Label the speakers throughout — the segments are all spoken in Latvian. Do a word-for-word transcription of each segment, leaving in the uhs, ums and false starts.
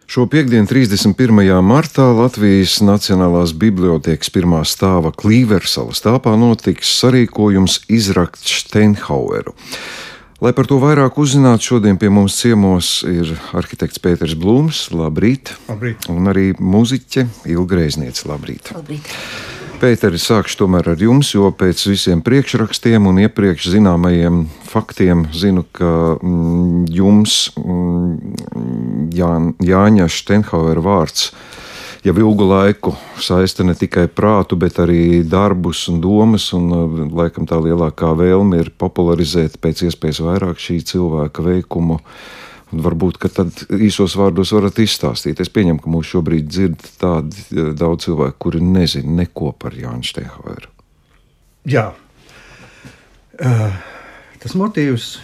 Speaker 1: Šo piektdienu, trīsdesmit pirmajā martā, Latvijas Nacionālās bibliotēkas pirmā stāva Klīversalas telpā notiks sarīkojums Izrakt Steinhaueru. Lai par to vairāk uzzinātu, šodien pie mums ciemos ir arhitekts Pēters Blūms. Labrīt!
Speaker 2: Labrīt!
Speaker 1: Un arī muziķe Ilga Reizniece. Labrīt!
Speaker 3: Labrīt!
Speaker 1: Pēteri, sākšu tomēr ar jums, jo pēc visiem priekšrakstiem un iepriekš zināmajiem faktiem zinu, ka mm, jums mm, Jā, Jāņa Steinhauera vārds jau ilgu laiku saista ne tikai prātu, bet arī darbus un domas, un laikam tā lielākā vēlme ir popularizēt pēc iespējas vairāk šī cilvēka veikumu. Un varbūt, ka tad īsos vārdos varat izstāstīt. Es pieņemu, ka mūs šobrīd dzird tādi daudz cilvēku, kuri nezina neko par Jāņu Steinhaueru.
Speaker 2: Jā. Uh, tas motīvs,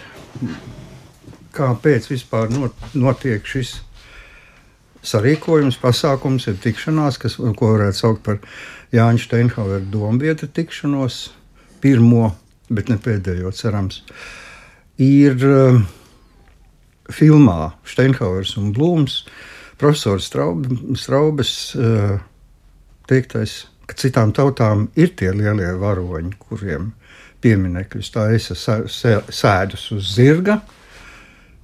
Speaker 2: kāpēc vispār notiek šis sarīkojums, pasākums, ir tikšanās, kas, ko varētu saukt par Jāņa Steinhauera domvieta tikšanos, pirmo, bet ne pēdējo, cerams, ir uh, filmā Steinhauers un Blūms, profesors Straub, Straubes uh, teiktais, ka citām tautām ir tie lielie varoņi, kuriem pieminekļus taisa sēdus uz zirga,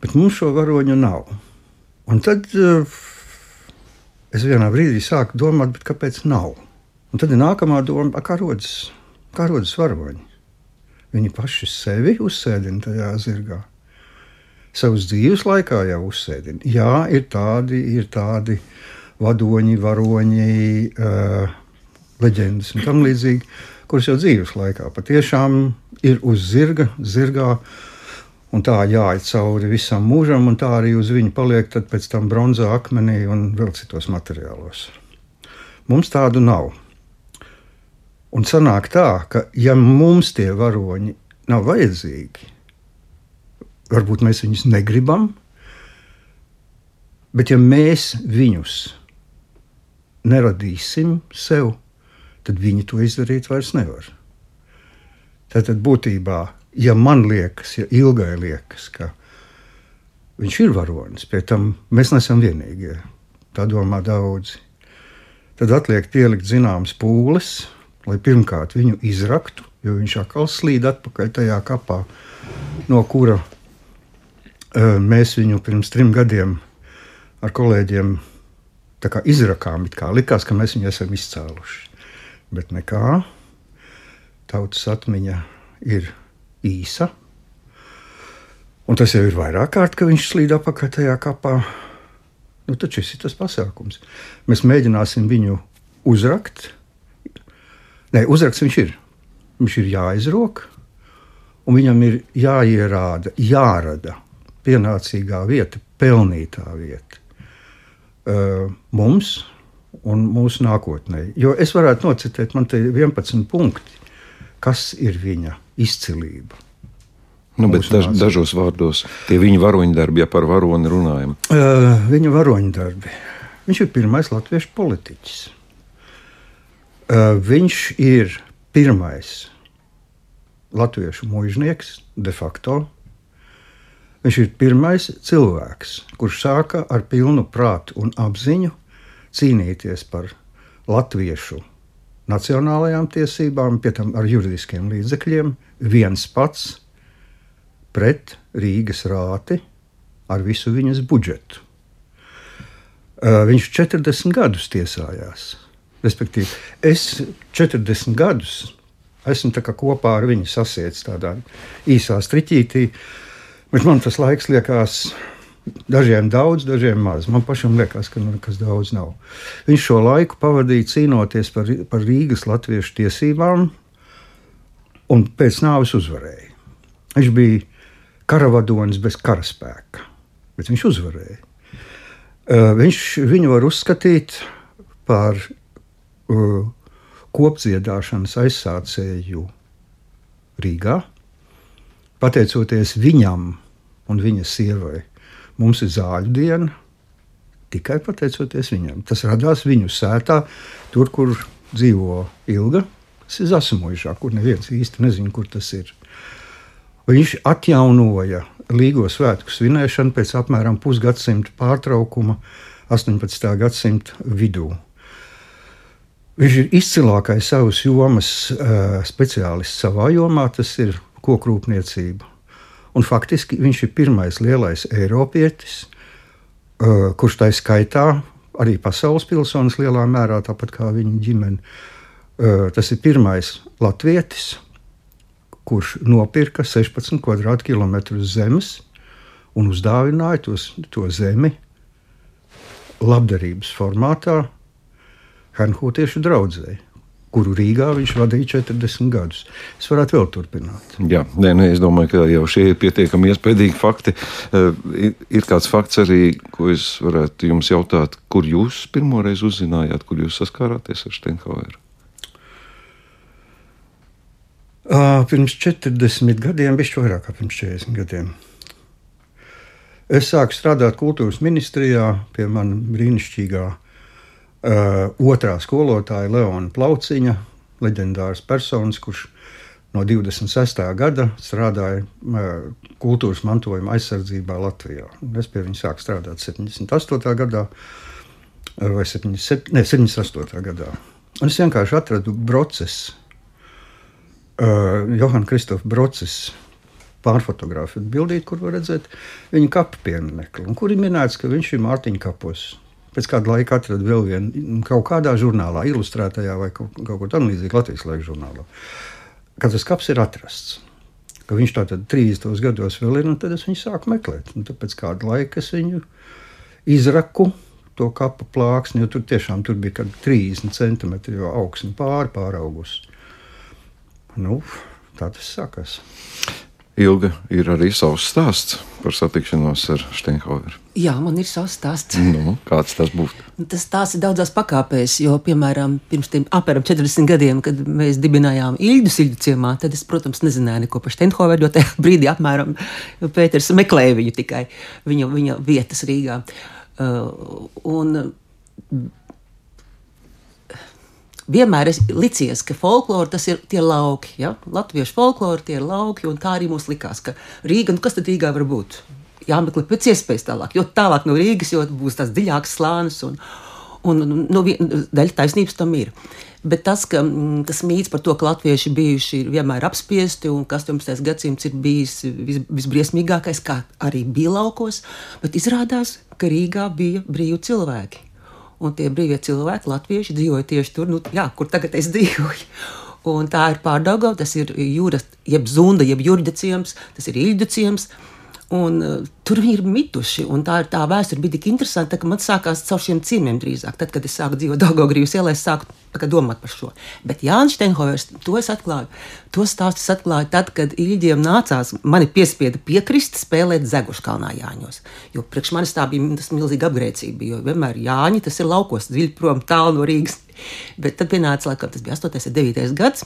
Speaker 2: bet mums šo varoņu nav. Un tad uh, es vienā brīdī sāku domāt, bet kāpēc nav? Un tad ir nākamā doma, kā rodas, kā rodas varoņi. Viņi paši sevi uzsēdina tajā zirgā. Savas dzīves laikā jau uzsēdina. Jā, ir tādi, ir tādi vadoņi, varoņi, uh, leģendas un tam līdzīgi, kuras jau dzīves laikā patiešām ir uz zirga, zirgā, un tā jāiet cauri visam mūžam, un tā arī uz viņu paliek tad pēc tam bronzā, akmenī un vēl citos materiālos. Mums tādu nav. Un sanāk tā, ka ja mums tie varoņi nav vajadzīgi, varbūt mēs viņus negribam, bet ja mēs viņus neradīsim sev, tad viņi to izdarīt vairs nevar. Tātad būtībā, ja man liekas, ja Ilgai liekas, ka viņš ir varonis, pie tam mēs nesam vienīgie, tā domā daudzi, tad atliek pielikt zināmas pūles, lai pirmkārt viņu izraktu, jo viņš atkal slīd atpakaļ tajā kapā, no kura mēs viņu pirms trim gadiem ar kolēģiem tā kā izrakām, it kā likās, ka mēs viņu esam izcēluši. Bet nekā, tautas atmiņa ir īsa, un tas jau ir vairāk kārt, ka viņš slīd apakaļ tajā kapā. Nu, tad šis ir tas pasākums. Mēs mēģināsim viņu uzrakt. Nē, uzrakts viņš ir. Viņš ir jāizrok, un viņam ir jāierāda, jārada pienācīgā vieta, pelnītā vieta uh, mums un mūsu nākotnē. Jo es varētu nocitēt, man te ir vienpadsmit punkti, kas ir viņa izcilība.
Speaker 1: Nu, bet daž, dažos vārdos tie viņa varoņdarbi, ja par varoni runājam.
Speaker 2: Uh, viņa varoņdarbi. Viņš ir pirmais latviešu politiķis. Uh, viņš ir pirmais latviešu muižnieks de facto. Viņš ir pirmais cilvēks, kurš sāka ar pilnu prātu un apziņu cīnīties par latviešu nacionālajām tiesībām, pie tam ar juridiskiem līdzekļiem, viens pats pret Rīgas rāti ar visu viņas budžetu. Uh, viņš četrdesmit gadus tiesājās. Respektīvi, es četrdesmit gadus esmu tā kā kopā ar viņu sasiets tādā īsā striķītī. Bet man tas laiks liekas dažiem daudz, dažiem maz. Man pašam liekas, ka nekas daudz nav. Viņš šo laiku pavadīja cīnoties par, par Rīgas latviešu tiesībām un pēc nāves uzvarēja. Viņš bija karavadonis bez karaspēka, bet viņš uzvarēja. Uh, viņš viņu var uzskatīt par uh, kopdziedāšanas aizsācēju Rīgā. Pateicoties viņam un viņa sievai, mums ir zāļu diena, tikai pateicoties viņam. Tas radās viņu sētā, tur, kur dzīvo Ilga, tas ir Zasumuižā, kur neviens īsti nezina, kur tas ir. Viņš atjaunoja Līgo svētku svinēšanu pēc apmēram pusgadsimta pārtraukuma astoņpadsmitā gadsimta vidū. Viņš ir izcilākais savas jomas uh, speciālists savā jomā, tas ir kokrūpniecība. Un faktiski viņš ir pirmais lielais eiropietis, uh, kurš tā skaitā arī pasaules pilsonis lielā mērā, tāpat kā viņa ģimene. Uh, tas ir pirmais latvietis, kurš nopirka sešpadsmit kvadrātkilometrus zemes un uzdāvināja tos, to zemi labdarības formātā hernhūtiešu draudzei, kuru Rīgā viņš vadīja četrdesmit gadus. Es varētu vēl turpināt.
Speaker 1: Jā, nē, nē, es domāju, ka jau šie ir pietiekami iespaidīgi fakti. Uh, ir, ir kāds fakts arī, ko es varētu jums jautāt, kur jūs pirmoreiz uzzinājāt, kur jūs saskārāties ar Steinhaueru?
Speaker 2: Uh, pirms četrdesmit gadiem, bišķi vairāk kā pirms četrdesmit gadiem. Es sāku strādāt kultūras ministrijā pie mana brīnišķīgā Uh, otrā skolotāja Leona Plauciņa, leģendārs personis, kurš no divdesmit sestā gada strādāja uh, kultūras mantojuma aizsardzībā Latvijā. Es pie viņa sāku strādāt septiņdesmit astotā gadā vai septiņdesmit astotā gadā. Un es vienkārši atradu Broces, uh, Johana Kristofa Broces pārfotogrāfiju bildīt, kur var redzēt viņa kapa pieminekli, un kur ir minēts, ka viņš ir Mārtiņa kapos. Pēc kāda laika atradu vēl vienu kaut kādā žurnālā, ilustrētajā vai kaut, kaut ko tam līdzīgi Latvijas laika žurnālā. Kad tas kaps ir atrasts, ka viņš tātad trīsdesmitos gados vēl ir, un tad es viņu sāku meklēt. Un tad pēc kāda laika es viņu izraku, to kapa plāksni, jo tur tiešām tur bija kādi trīsdesmit centimetri, jo augsni pāri pāraugus. Nu, tā tas sākās.
Speaker 1: Ilga, ir arī savs stāsts par satikšanos ar Steinhaueru.
Speaker 3: Jā, man ir savs stāsts.
Speaker 1: Nu, kāds tas būtu?
Speaker 3: Tas stāsts ir daudzās pakāpēs, jo, piemēram, pirms tiem apmēram četrdesmit gadiem, kad mēs dibinājām Ilģu Siļģu ciemā, tad es, protams, nezināju neko par Steinhaueru, jo tajā brīdī apmēram Pēters meklēja viņu tikai, viņa, viņa vietas Rīgā. Uh, un vienmēr es licies, ka folklora tas ir tie lauki, ja? Latviešu folklora tie ir lauki, un tā arī mums likās, ka Rīga, nu kas tad Rīgā var būt? Jāmeklē pēc iespējas tālāk, jo tālāk no Rīgas, jo būs tās dziļākas slānes, un, un nu, daļa taisnības tam ir. Bet tas, ka tas mīts par to, ka latvieši bijuši vienmēr apspiesti, un ka astoņpadsmitais gadsimts ir bijis vis, visbriesmīgākais, kā arī bija laukos, bet izrādās, ka Rīgā bija brīvi cilvēki. Un tie brīvie cilvēki, latvieši, dzīvoja tieši tur, nu, jā, kur tagad es dzīvoju. Un tā ir Pārdaugava, tas ir jūras, jeb Zunda, jeb Jurģa ciems, tas ir Ilģu ciems. Un uh, tur viņi ir mituši, un tā, tā vēsture bija tik interesanta, ka man sākās caur šiem ciemiem drīzāk. Tad, kad es sāku dzīvot Daugavgrīvas ielā, es sāku domāt par šo. Bet Jānis Steinhauers, to es atklāju, to stāstu es atklāju tad, kad Ilģiem nācās, mani piespieda piekrist spēlēt Zeguškalnā Jāņos. Jo priekš manis tā bija tas milzīga apgrēcība, jo vienmēr Jāņi, tas ir laukos, dziļi prom tālu no Rīgas. Bet tad pienāca laikam, tas bija astotais vai devītais gads,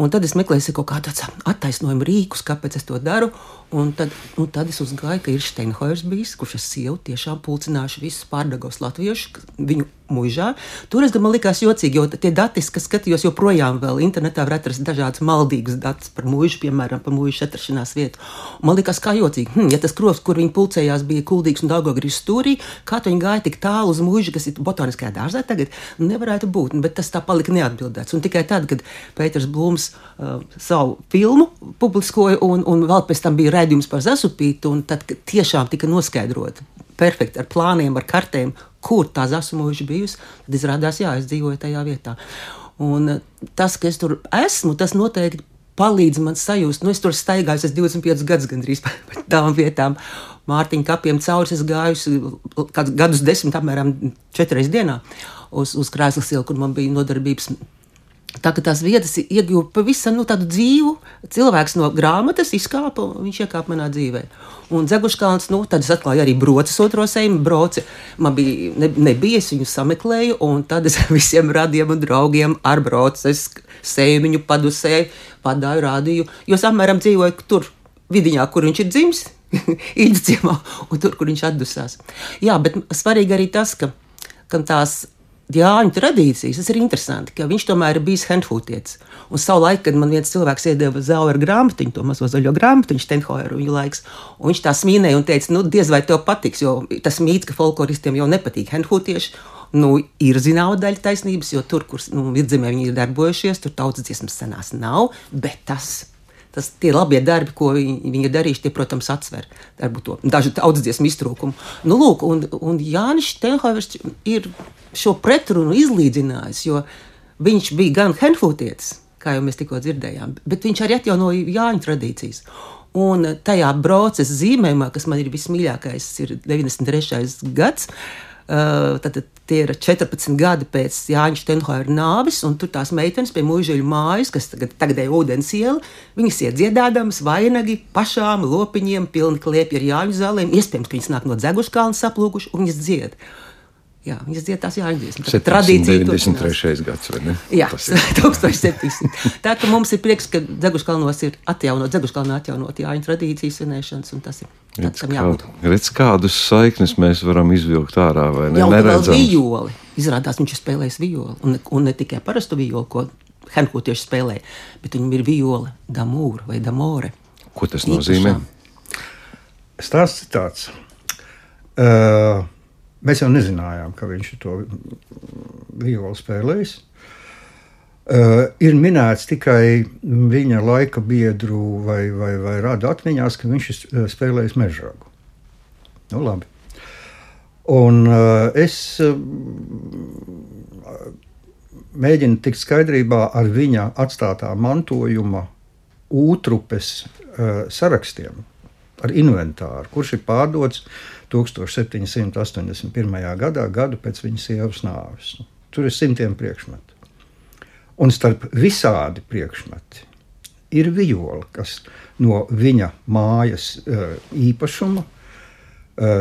Speaker 3: un tad es meklēju kaut kādu attaisnojumu rīkus, kāpēc es to daru, un tad, un tad es uzgāju, ka ir Steinhauers bijis, kurš es sievu tiešām pulcināšu visus Pārdaugavas latviešu, viņu muižā. Toreiz man likās jocīgi, jo tie dati, kas skatījos joprojām vēl internetā, var atrast dažādas maldīgas datus par muižu, piemēram, par muižu atrašanās vietu. Un man likās kā jocīgi, hm, ja tas krovs, kur viņi pulcējās, bija Kuldīgs un Daugavgrīvas stūrī, kā viņi gāja tik tālu uz muižu, kas ir botāniskajā dārzā tagad, nevarētu būt, bet tas tā palika neatbildēts. Un tikai tad, kad Pēters Blūms uh, savu filmu publiskoja un, un vēl pēc tam bija raidījums par Zasupīti, un tad tiešām tika noskaidrota perfekti ar plāniem, ar kartēm, kur tā zasumuiža bijusi, tad izrādās, jā, es dzīvoju tajā vietā. Un tas, ka es tur esmu, tas noteikti palīdz man sajust, nu es tur staigāju, es divdesmit piecus gadus gandrīz par tām vietām, Mārtiņa kapiem cauri, es gājusi kādus gadus desmit, apmēram četreiz dienā uz, uz Krēslas ielu, kur man bija nodarbības. Tā kā tās vietas iegūpa pavisam nu, tādu dzīvu, cilvēks no grāmatas izkāpa, viņš iekāpa manā dzīvē. Un Zeguškalns, nu, tad es atklāju arī Broces otro sējumu, Broci man bija, ne, nebija, es viņu sameklēju, un tad es visiem radiem un draugiem ar Broces sējumiņu padusēju, padāju, rādīju, jo es apmēram dzīvoju tur vidiņā, kur viņš ir dzimis, Ilģu ciemā, un tur, kur viņš atdusās. Jā, bet svarīgi arī tas, ka, ka tās Jāņu tradīcijas, tas ir interesanti, ka viņš tomēr ir bijis henfūtietis. Un savu laiku, kad man viens cilvēks iedeva Zauera grāmatiņu, to mazo zaļo grāmatiņu, Štenhoeru viņa laiks, un viņš tā smīnēja un teica, nu, diez vai tev patiks, jo tas mīts, ka folkloristiem jau nepatīk henfūtieši, nu, ir zināma daļa taisnības, jo tur, kur nu, vidzemē viņi ir darbojušies, tur tautas dziesmas senās nav, bet tas, tas tie labie darbi, ko viņi, viņi ir darījuši, tie, protams, atsver darbu to dažu tautas dziesmu iztrūkumu. Nu, lūk, un, un Jānis Štenhoers ir šo pretrunu izlīdzinājis, jo viņš bija gan henfūtietis, kā jau mēs tikko dzirdējām, bet viņš arī atjaunoja Jāņu tradīcijas. Un tajā brauces zīmējumā, kas man ir vismīļākais, ir deviņdesmit trešais gads, tad tie ir četrpadsmit gadi pēc Jāņa Štenhoera nāves, un tur tās meitenes pie mūžeļu mājas, kas tagad, tagad ir ūdens iela, viņas iet dziedādamas vainagi, pašām, lopiņiem, pilni kliepji ar Jāņu zālēm, iespējams, ka viņas nāk no Dzeguškalna saplūkuši, un viņas dzied. Jā, viņas dzied tās Jāņu dziesmas.
Speaker 1: Tradīcija deviņdesmit trešais gads, vai ne?
Speaker 3: Jā, tūkstoš septiņsimt. Tā, ka mums ir prieks, ka Dzeguškalnos ir atjaunot, Dzeguškalnā atjaunot Jāņu tradīcijas svinēšanas, un tas ir tāds, kam jābūt.
Speaker 1: Redz, kādus saiknes mēs varam izvilkt ārā, vai ne?
Speaker 3: Jā, un vēl vijoli. Izrādās, viņš ir spēlējis vijoli, un ne, un ne tikai parastu vijoli, ko henfūtieši spēlē, bet viņam ir vijoli damūra vai damore.
Speaker 1: Ko tas nozīmē?
Speaker 2: Stāsts ir tāds. Uh, Mēs jau nezinājām, ka viņš to vijoli spēlējis. Uh, ir minēts tikai viņa laika biedru vai, vai, vai rādu atmiņās, ka viņš ir spēlējis mežragu. Nu, labi. Un uh, es uh, mēģinu tikt skaidrībā ar viņa atstātā mantojuma ūtrupes uh, sarakstiem, ar inventāru, kurš ir pārdots tūkstoš septiņsimt astoņdesmit pirmajā gadā, gadu pēc viņa sievas nāves. Tur ir simtiem priekšmetu. Un starp visādi priekšmeti ir vijola, kas no viņa mājas uh, īpašuma uh,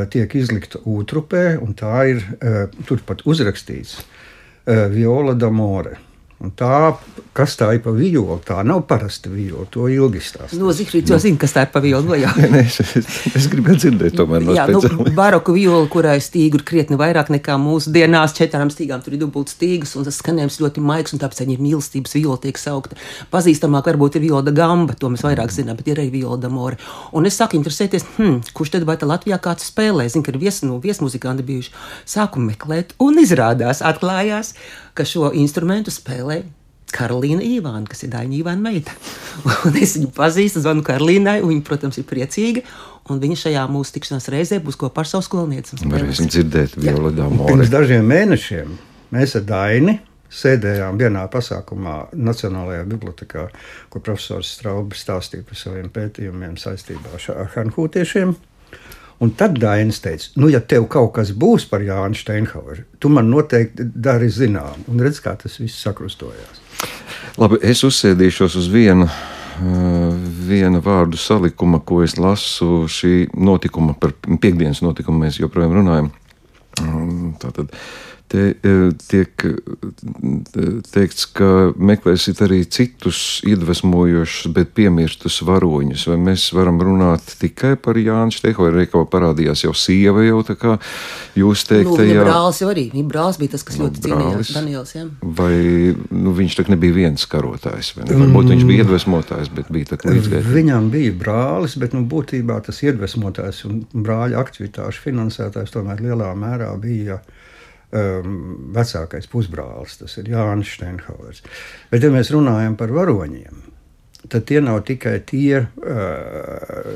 Speaker 2: tiek izlikta ūtrupē, un tā ir uh, turpat uzrakstīts uh, viola d'amore. Un tā, kas tā ir pa vijoli, tā nav parasta vijola, to ilgi stāstīt.
Speaker 3: No Zihrīts jau zina, kas tā ir pa vijoli. No,
Speaker 1: Nē, es, es, es gribētu dzirdēt tomēr no
Speaker 3: jā, nu, baroku vijoli, kurai stīgu ir krietni vairāk nekā mūsu dienās, četrām stīgām tur ir dubult stīgas, un tas skanējums ļoti maigs, un tāpēc viņi ir mīlestības vijola tiek saukta. Pazīstamāk varbūt ir viola da gamba, to mēs vairāk zinām, bet ir arī viola d'amore. Un es sāku interesēties, hmm, kurš tad vai tā Latvijā kāds spēlē, zinu, ka ir vies, nu, viesmuzikanti bijuši. Sāku meklēt, un izrādās, atklājās, ka šo instrumentu spēlē Karolīna Īvāna, kas ir Daņa Īvāna meita. Un es viņu pazīstu, zvanu Karolīnai, un viņa, protams, ir priecīga. Un viņa šajā mūsu tikšanās reizē būs kopā ar savu skolnieci.
Speaker 1: Varēsim dzirdēt viola d'amore.
Speaker 2: Pirms dažiem mēnešiem mēs ar Daini sēdējām vienā pasākumā Nacionālajā bibliotekā, kur profesors Straubis stāstīja par saviem pētījumiem saistībā ar henfūtiešiem. Un tad Dainis teica, nu, ja tev kaut kas būs par Jānu Štenhoeru, tu man noteikti dari zinām. Un redz, kā tas viss sakrustojās.
Speaker 1: Labi, es uzsēdīšos uz vienu, viena vārdu salikuma, ko es lasu šī notikuma, par piekdienas notikumu mēs joprojām runājam. Tātad te tiek teikts, ka meklēsit arī citus iedvesmojošus, bet piemirstus varoņus. Vai mēs varam runāt tikai par Jānu Štenhoeru, vai kā parādījās jau sieva jau tā kā jūs teiktajā?
Speaker 3: Nu, viņa brālis jau arī. Viņa brālis bija tas, kas nu, ļoti cīnījās. Daniels, jā.
Speaker 1: Vai nu, viņš tak nebija viens karotājs? Vai ne? Varbūt mm. viņš bija iedvesmotājs, bet bija tak līdzgaitīgi.
Speaker 2: Viņam bija brālis, bet nu, būtībā tas iedvesmotājs un brāļa aktivitāšu finansētājs tomēr lielā mērā bija Um, vecākais pusbrālis, tas ir Jānis Štenhoers. Bet, ja mēs runājam par varoņiem, tad tie nav tikai tie uh,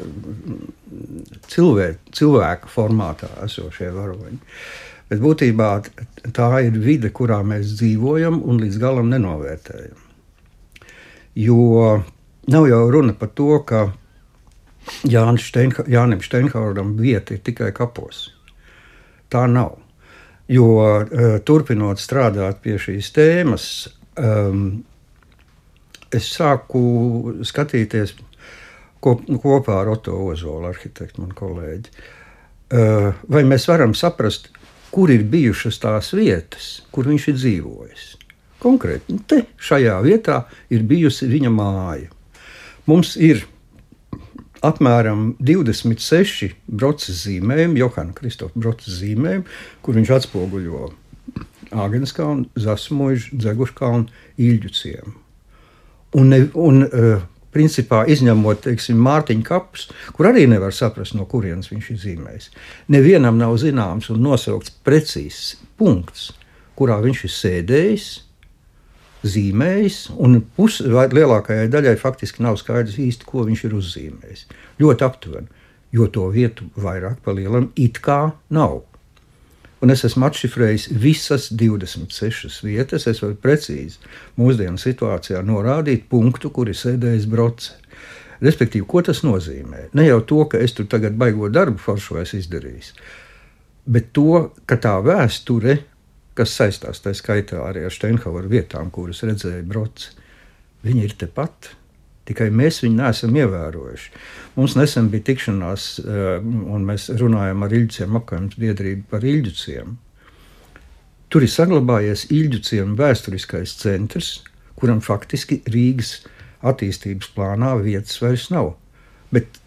Speaker 2: cilvēku, cilvēku formātā esošie varoņi. Bet būtībā tā ir vide, kurā mēs dzīvojam un līdz galam nenovērtējam. Jo nav jau runa par to, ka Jānis Štenha, Jānim Štenhoeram vieta ir tikai kapos. Tā nav. Jo uh, turpinot strādāt pie šīs tēmas, um, es sāku skatīties kop, kopā ar Oto Ozolu, arhitektu, man kolēģi, uh, vai mēs varam saprast, kur ir bijušas tās vietas, kur viņš ir dzīvojis. Konkrēti, te šajā vietā ir bijusi viņa māja. Mums ir apmēram divdesmit seši broces zīmējumi, Johana Kristofa broces zīmējumi, kur viņš atspoguļo Āgenskalnu, Zasmuižu, Dzeguškalnu, Ilģu ciemu. Un, ne, un uh, principā izņemot, teiksim, Mārtiņa kapus, kur arī nevar saprast, no kurienes viņš ir zīmējis. Nevienam nav zināms un nosaukts precīzs punkts, kurā viņš ir sēdējis, zīmējis, un pus, lielākajai daļai faktiski nav skaidrs īsti, ko viņš ir uzzīmējis. Ļoti aptuveni, jo to vietu vairāk pa lielam it kā nav. Un es esmu atšifrējis visas divdesmit sešas vietas, es varu precīzi mūsdienu situācijā norādīt punktu, kur ir sēdējis Broce. Respektīvi, ko tas nozīmē? Ne jau to, ka es tur tagad baigo darbu foršu esmu izdarījis, bet to, ka tā vēsture, kas saistās tā skaitā arī ar Steinhaueru vietām, kuras redzēja Broce, viņi ir tepat. Tikai mēs viņu neesam ievērojuši. Mums nesen bija tikšanās, un mēs runājam ar Ilģu ciemu apkaimnes biedrību par Ilģu ciemu. Tur ir saglabājies Ilģu ciemu vēsturiskais centrs, kuram faktiski Rīgas attīstības plānā vietas vairs nav. Bet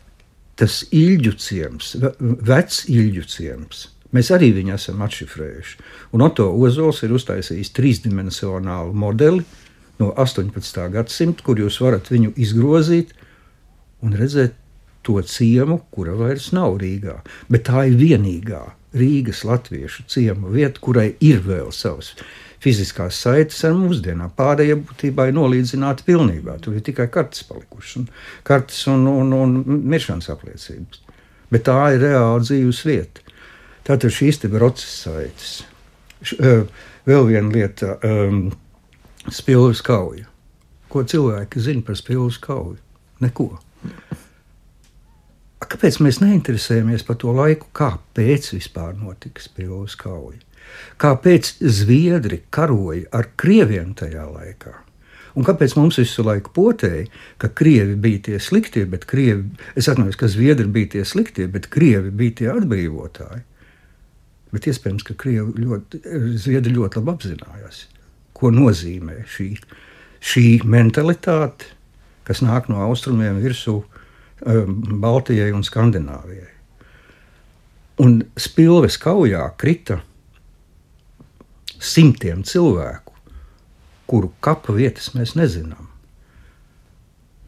Speaker 2: tas Ilģu ciems, vecs Ilģu ciems, mēs arī viņu esam atšifrējuši. Un Oto Ozols ir uztaisījis trīsdimensionālu modeli no astoņpadsmitā gadsimta, kur jūs varat viņu izgrozīt un redzēt to ciemu, kura vairs nav Rīgā. Bet tā ir vienīgā Rīgas latviešu ciemu vieta, kurai ir vēl savas fiziskās saites ar mūsdienām. Pārējie būtībā ir nolīdzināti pilnībā. Tur ir tikai kartes palikušas, un kartes un, un, un miršanas apliecības. Bet tā ir reāla dzīves vieta. Tātad šīs te Broces saites. Š, uh, vēl viena lieta. Um, Spilves kauja. Ko cilvēki zina par Spilves kauju? Neko. Kāpēc mēs neinteresējamies par to laiku, kāpēc vispār notika Spilves kauja? Kāpēc zviedri karoja ar krieviem tajā laikā? Un kāpēc mums visu laiku potēja, ka krievi bija tie sliktie, bet krievi, es atceros, ka zviedri bija tie sliktie, bet krievi bija tie atbrīvotāji? Bet iespējams, ka krievi ļoti, zviedri ļoti labi apzinājās, ko nozīmē šī, šī mentalitāte, kas nāk no austrumiem virsū um, Baltijai un Skandināvijai. Un Spilves kaujā krita simtiem cilvēku, kuru kapa vietas mēs nezinām.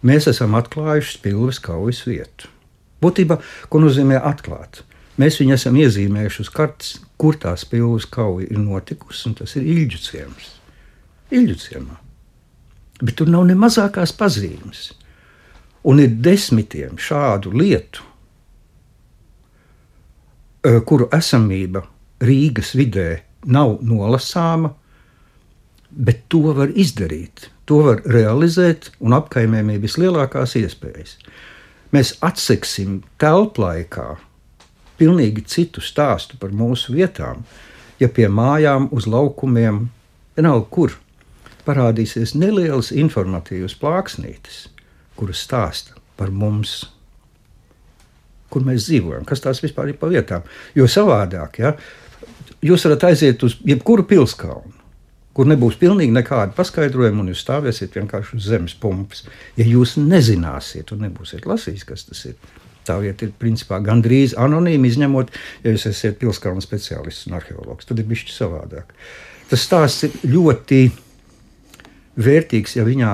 Speaker 2: Mēs esam atklājuši Spilves kaujas vietu. Būtībā, ko nozīmē atklāt? Mēs viņu esam iezīmējuši uz kartes, kur tā Spilves kauja ir notikusi, un tas ir Ilģu ciems. Ilģu ciemā. Bet tur nav ne mazākās pazīmes. Un ir desmitiem šādu lietu, kuru esamība Rīgas vidē nav nolasāma, bet to var izdarīt. To var realizēt, un apkaimēm ir vislielākās iespējas. Mēs atseksim telplaikā pilnīgi citu stāstu par mūsu vietām, ja pie mājām uz laukumiem, vienalga kur, parādīsies nelielas informatīvas plāksnītes, kuras stāsta par mums, kur mēs dzīvojam, kas tās vispār ir pa vietām. Jo savādāk, ja, jūs varat aiziet uz jebkuru pilskalnu, kur nebūs pilnīgi nekāda paskaidrojuma, un jūs stāvēsiet vienkārši uz zemes pumpas. Ja jūs nezināsiet un nebūsiet lasījis, kas tas ir, tā vieta ir principā gandrīz anonīma, izņemot, ja jūs esat pilskalnu speciālists un arheologs, tad ir bišķi savādāk. Tas stāsts ir ļoti vērtīgs, ja viņā,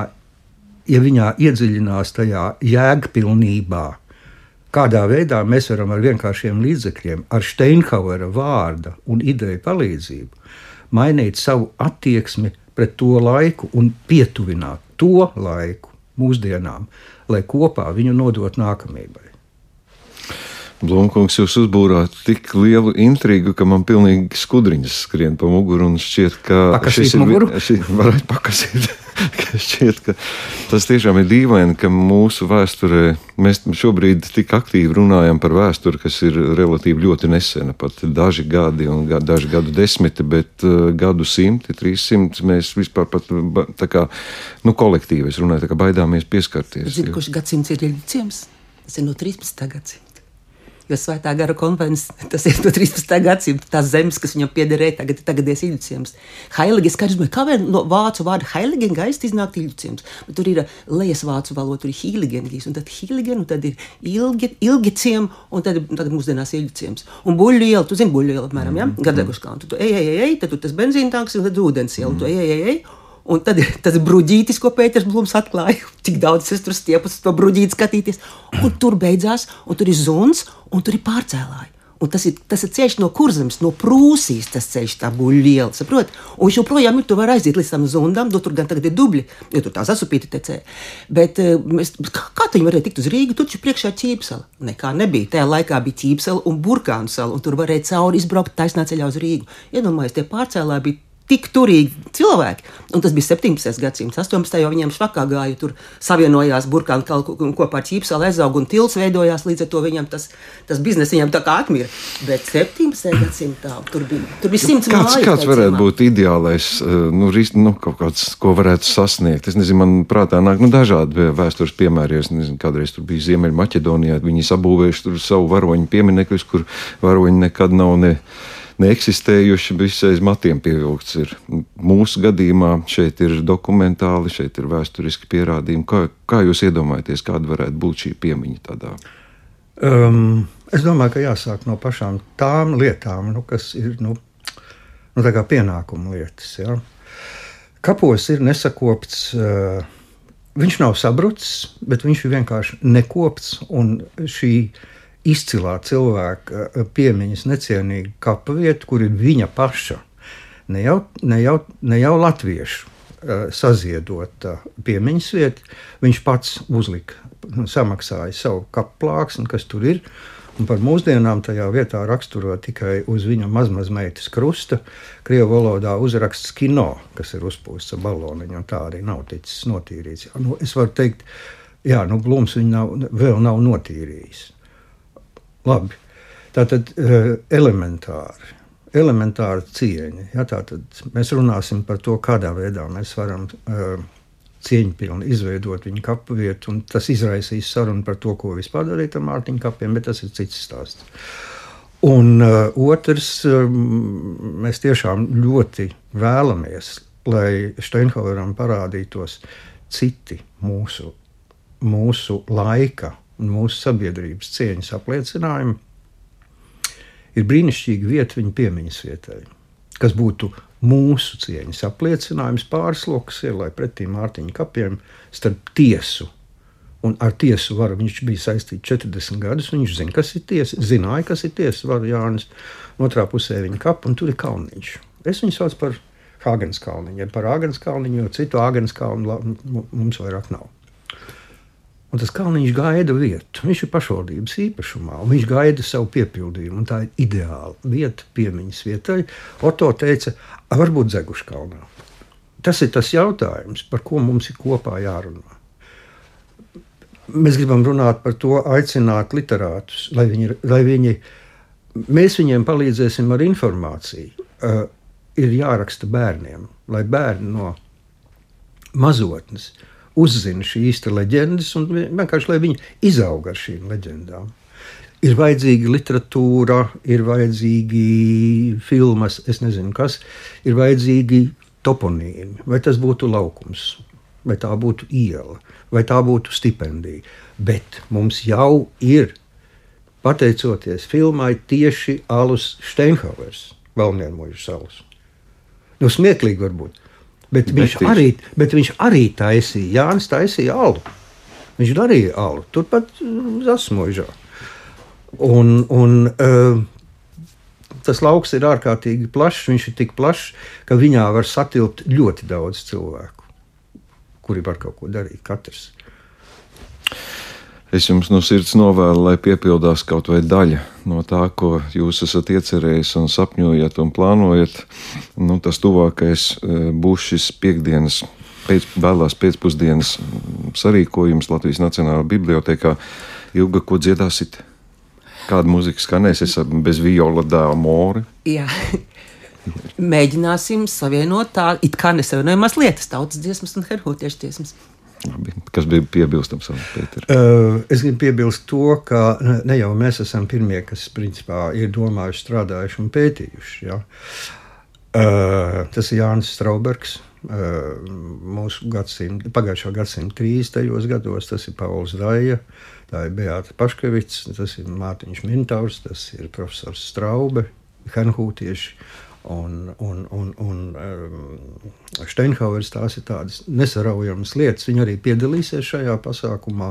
Speaker 2: ja viņā iedziļinās tajā jēgpilnībā, kādā veidā mēs varam ar vienkāršiem līdzekļiem, ar Steinhauera vārda un ideju palīdzību mainīt savu attieksmi pret to laiku un pietuvināt to laiku mūsdienām, lai kopā viņu nodot nākamībai.
Speaker 1: Blomkungs, jūs uzbūrāt tik lielu intrigu, ka man pilnīgi skudriņas skrien pa muguru un šķiet, ka
Speaker 2: pakasīt muguru?
Speaker 1: Šī varētu pakasīt. Šķiet, ka tas tiešām ir dīvaini, ka mūsu vēsturē, mēs šobrīd tik aktīvi runājam par vēsturi, kas ir relatīvi ļoti nesena, pat daži gadi un daži gadu desmiti, bet uh, gadu simti, trīs simti mēs vispār pat tā kā, nu, kolektīvi, es runāju, tā kā baidāmies pieskarties.
Speaker 3: Zini, kurš gadsimts ir Ilģu ciems? Tas ir no trīspadsmitā gadsimta. Jo Svētā gara konvents, tas ir no trīspadsmitā gadsimta, tās zemes, kas viņam piederēja, tagad ir tagadies Iļuciems. Heilige, skaidrs, kā vēl no vācu vārda Heiligen gaist iznākt Iļuciems. Bet tur ir lejas vācu valoda, tur ir Hīligenģīs, un tad Hīligen, un tad ir ilgi, Ilgiciem, un tad tagad mūsdienās Iļuciems. Un Buļļu iela, tu zini Buļļu iela, apmēram, ja? Gardeguškānu. Tu, tu ej, ej, ej, tad tu tas benzīntanks, un tad ūdens iela, tu ej, ej, ej. Un tad ir tas bruģītis, ko Pēters Blums atklāja. Cik daudz es tur stiepus to bruģīti skatīties. Un tur beidzās, un tur ir zuns, un tur ir pārcēlāji. Un tas ir, tas ir ceļš no Kurzemes, no Prūsijas, tas ceļš tā Buļļu iela, saprot? Un viņš joprojām ir, tu var aiziet līdz tam zundam, tur gan tagad ir dubļi, jo tur tā zasupīti tecē. Bet mēs, kā, kā tu varēja tikt uz Rīgu? Tur taču priekšā Ķīpsala. Nekā nebija. Tajā laikā bija Ķīpsala un Burkānu sala, un tur varēja cauri izbraukt taisnā ceļā uz Rīgu. Iedomājies, tie pārcēlāji bija tik turīgi cilvēki, un tas bija septiņpadsmitais gadsimts, astoņpadsmitais jau viņiem švakā gāja, tur savienojās Burkānu kalku kopā ar Ķīpsalu aizaug, un tils veidojās, līdz ar to viņam tas, tas biznes viņam tā kā atmira. Bet septiņpadsmitajā gadsimtā tur bija, tur bija simts
Speaker 1: kāds,
Speaker 3: māju.
Speaker 1: Kāds varētu ciemā. Būt ideālais, nu, nu, kaut kāds, ko varētu sasniegt? Es nezinu, man prātā nāk, nu, dažādi vēstures piemēri, es nezinu, kādreiz tur bija Ziemeļa Maķedonijā, viņi sabūvējuši tur savu varoņu pieminekļus, kur varoņi nekad nav ne neeksistējuši, visais matiem pievilkts ir. Mūsu gadījumā šeit ir dokumentāli, šeit ir vēsturiski pierādījumi. Kā, kā jūs iedomājaties, kāda varētu būt šī piemiņa tādā?
Speaker 2: Um, es domāju, ka jāsāk no pašām tām lietām, nu, kas ir, nu, nu tā kā pienākuma lietas, ja. Kapos ir nesakopts, uh, viņš nav sabrucis, bet viņš ir vienkārši nekopts, un šī izcilā cilvēka piemiņas necienīga kapa vieta, kur ir viņa paša, ne jau, ne jau, ne jau latviešu uh, saziedota piemiņas vieta, viņš pats uzlika, samaksāja savu kapu plāksni, kas tur ir, un par mūsdienām tajā vietā raksturo tikai uz viņa mazmazmeitas krusta, krievu valodā uzraksts kino, kas ir uzpūsts ar baloniņu, un tā arī nav ticis notīrīts. Nu, es varu teikt, jā, nu, Blums viņu nav, vēl nav notīrījis. Labi, tātad uh, elementāri, elementāri cieņa. Ja, tātad mēs runāsim par to, kādā veidā mēs varam uh, cieņpilni izveidot viņa kapu vietu, un tas izraisīs sarunu par to, ko vispār darīt ar Mārtiņa kapiem, bet tas ir cits stāsts. Un uh, otrs, um, mēs tiešām ļoti vēlamies, lai Steinhaueram parādītos citi mūsu, mūsu laika un mūsu sabiedrības cieņas apliecinājumi, ir brīnišķīga vieta viņa piemiņas vietai, kas būtu mūsu cieņas apliecinājums pāris lokas ir, lai pretī Mārtiņa kapiem starp tiesu, un ar tiesu varu viņš bija saistīts četrdesmit gadus, viņš zina, kas ir tiesa, zināja, kas ir tiesa, varu Jānis, otrā pusē viņa kapa, un tur ir kalniņš. Es viņu sauc par Āgens kalniņu, ja par Āgens kalniņu, jo citu Āgens kalnu mums vairāk nav. Un tas kalniņš gaida vietu. Viņš ir pašvaldības īpašumā, un viņš gaida savu piepildījumu. Un tā ir ideāla vieta piemiņas vietai. Oto teica, varbūt Zeguškalnā. Tas ir tas jautājums, par ko mums ir kopā jārunā. Mēs gribam runāt par to, aicināt literātus, lai viņi, lai viņi mēs viņiem palīdzēsim ar informāciju. Uh, ir jāraksta bērniem, lai bērni no mazotnes uzzina šīs leģendas un vienkārši, lai viņi izaug ar šīm leģendām. Ir vajadzīga literatūra, ir vajadzīgi filmas, es nezinu kas, ir vajadzīgi toponīmi, vai tas būtu laukums, vai tā būtu iela, vai tā būtu stipendija. Bet mums jau ir, pateicoties filmai, tieši Alus Steinhauers, Valmiermuižu salas. Nu, smieklīgi varbūt. Bet viņš, arī, bet viņš arī taisīja, Jānis taisīja alu. Viņš darīja alu, turpat Zasmuižā. Un, un uh, tas lauks ir ārkārtīgi plašs, viņš ir tik plašs, ka viņā var satilpt ļoti daudz cilvēku, kuri var kaut ko darīt, katrs.
Speaker 1: Es jums no sirds novēlu, lai piepildās kaut vai daļa no tā, ko jūs esat iecerējis un sapņojat un plānojat. Nu, tas tuvākais būs šis piekdienas, pēc, vēlās pēcpusdienas sarīkojums Latvijas Nacionālajā bibliotēkā. Ilga, ko dziedāsit? Kāda muzika skanēs? Es bez viola da amore.
Speaker 3: Jā. Mēģināsim savienot tā, it kā nesavienojamās lietas, tautas dziesmas un herhūtiešu dziesmas.
Speaker 1: Labi. Kas bija piebilstams, Pēter?
Speaker 2: Uh, es gribu piebilst to, ka ne jau mēs esam pirmie, kas principā ir domājuši, strādājuši un pētījuši. Ja? Uh, tas ir Jānis Straubergs, uh, mūsu gadsimta, pagājušā gadsimta trīsdesmitajos gados, tas ir Pauls Daija, tā ir Beāta Paškevics, tas ir Mārtiņš Mintaurs, tas ir profesors Straube, Hernhūtieši. Un, un, un, un um, Steinhauers, tās ir tādas nesaraujamas lietas. Viņi arī piedalīsies šajā pasākumā.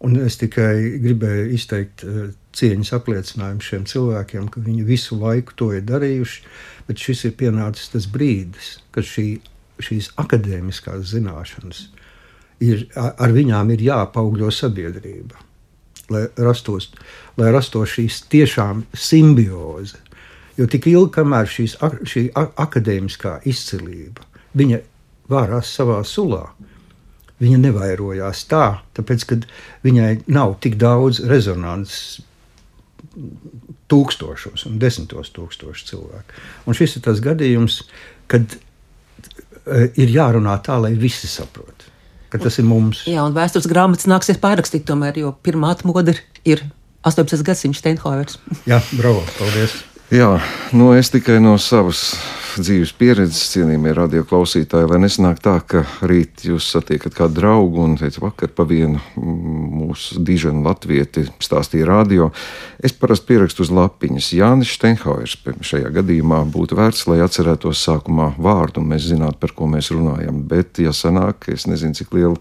Speaker 2: Un es tikai gribēju izteikt uh, cieņas apliecinājumu šiem cilvēkiem, ka viņi visu laiku to ir darījuši. Bet šis ir pienācis tas brīdis, kad šī, šīs akadēmiskās zināšanas ir, ar viņām ir jāapaugļo sabiedrība. Lai rastos, lai rastos šīs tiešām simbioze. Jo tik ilgi, kamēr šīs, šī akadēmiskā izcilība viņa vārās savā sulā, viņa nevairojās tā, tāpēc, ka viņai nav tik daudz rezonances tūkstošos un desmitos tūkstošu cilvēku. Un šis ir tas gadījums, kad uh, ir jārunā tā, lai visi saprot, ka tas ir mums.
Speaker 3: Jā, un vēstures grāmatas nāksies pārrakstīt tomēr, jo pirmā atmoda ir astoņpadsmitais gadsimts Steinhauers.
Speaker 2: Jā, bravo, paldies.
Speaker 1: Jā, nu es tikai no savas dzīves pieredzes, cienījamie radioklausītāji, lai nesanāk tā, ka rīt jūs satiekat kādu draugu un teica, vakar pa vienu mūsu diženu latvieti stāstīja radio. Es parasti pierakstu uz lapiņas. Jānis Steinhauers šajā gadījumā būtu vērts, lai atcerētos sākumā vārdu un mēs zinātu, par ko mēs runājam. Bet, ja sanāk, es nezinu, cik liela,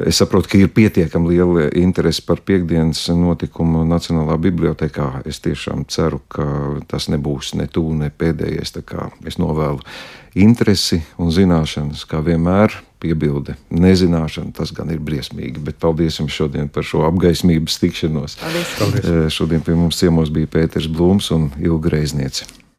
Speaker 1: es saprotu, ka ir pietiekami liela interese par piekdienas notikumu Nacionālā bibliotekā. Es tiešām ceru, ka tas nebūs ne tuvu, ne pēdējais, tā kā es novēlu interesi un zināšanas, kā vienmēr piebilde. Nezināšana, tas gan ir briesmīgi, bet paldies jums šodien par šo apgaismības tikšanos.
Speaker 3: Paldies.
Speaker 2: Paldies.
Speaker 1: Šodien pie mums ciemos bija Pēters Blūms un Ilga Reizniece.